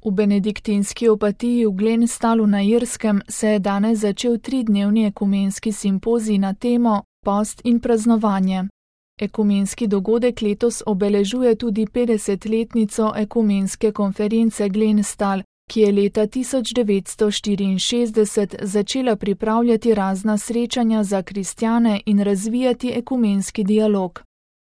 V benediktinski opatiji v Glenstallu na Irskem se je danes začel 3-dnevni ekumenski simpozij na temo Post in praznovanje. Ekumenski dogodek letos obeležuje tudi 50-letnico ekumenske konference Glenstall, ki je leta 1964 začela pripravljati razna srečanja za kristjane in razvijati ekumenski dialog.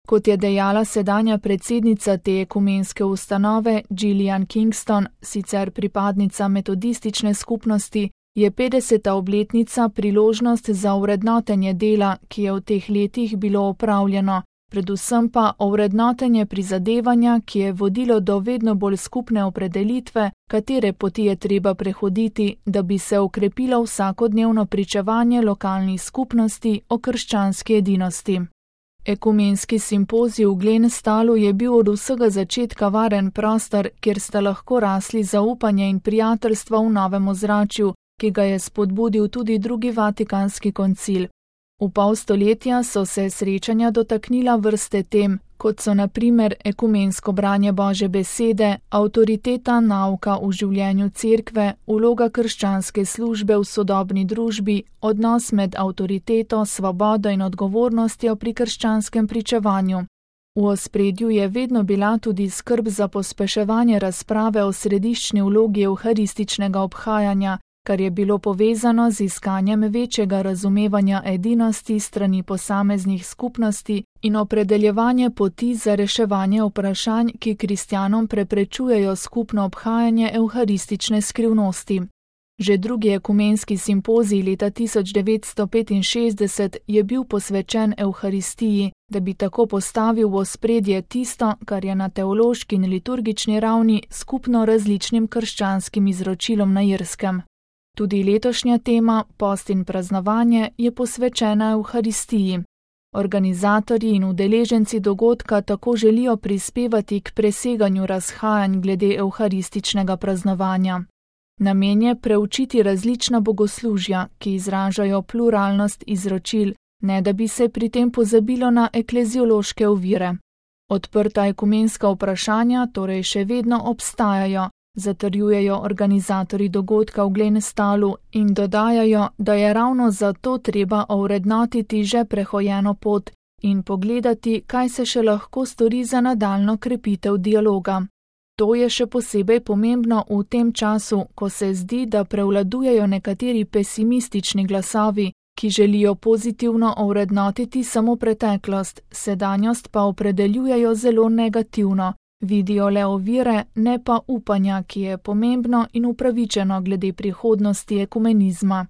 Kot je dejala sedanja predsednica te ekumenske ustanove Gillian Kingston, sicer pripadnica metodistične skupnosti, je 50. obletnica priložnost za ovrednotenje dela, ki je v teh letih bilo opravljeno, predvsem pa ovrednotenje prizadevanja, ki je vodilo do vedno bolj skupne opredelitve, katere poti je treba prehoditi, da bi se okrepilo vsakodnevno pričevanje lokalnih skupnosti o krščanski edinosti. Ekumenski simpozij v Glenstallu je bil od vsega začetka varen prostor, kjer sta lahko rasli zaupanje in prijateljstva v novem ozračju, ki ga je spodbudil tudi drugi vatikanski koncil. V pol stoletja so se srečanja dotaknila vrste tem, kot so na primer ekumensko branje Božje besede, avtoriteta nauka v življenju cerkve, vloga krščanske službe v sodobni družbi, odnos med avtoriteto, svobodo in odgovornostjo pri krščanskem pričevanju. V ospredju je vedno bila tudi skrb za pospeševanje razprave o središčni vlogi evharističnega obhajanja, kar je bilo povezano z iskanjem večjega razumevanja edinosti strani posameznih skupnosti in opredeljevanje poti za reševanje vprašanj, ki kristjanom preprečujejo skupno obhajanje evharistične skrivnosti. Že drugi ekumenski simpozij leta 1965 je bil posvečen evharistiji, da bi tako postavil v ospredje tisto, kar je na teološki in liturgični ravni skupno različnim krščanskim izročilom na Irskem. Tudi letošnja tema, post in praznovanje, je posvečena evharistiji. Organizatorji in udeleženci dogodka tako želijo prispevati k preseganju razhajanj glede evharističnega praznovanja. Namen je preučiti različna bogoslužja, ki izražajo pluralnost izročil, ne da bi se pri tem pozabilo na ekleziološke ovire. Odprta ekumenska vprašanja torej še vedno obstajajo, zatrjujejo organizatorji dogodka v Glenstallu in dodajajo, da je ravno zato treba ovrednotiti že prehojeno pot in pogledati, kaj se še lahko stori za nadaljnjo krepitev dialoga. To je še posebej pomembno v tem času, ko se zdi, da prevladujejo nekateri pesimistični glasovi, ki želijo pozitivno ovrednotiti samo preteklost, sedanjost pa opredeljujejo zelo negativno. Vidijo le ovire, ne pa upanja, ki je pomembno in upravičeno glede prihodnosti ekumenizma.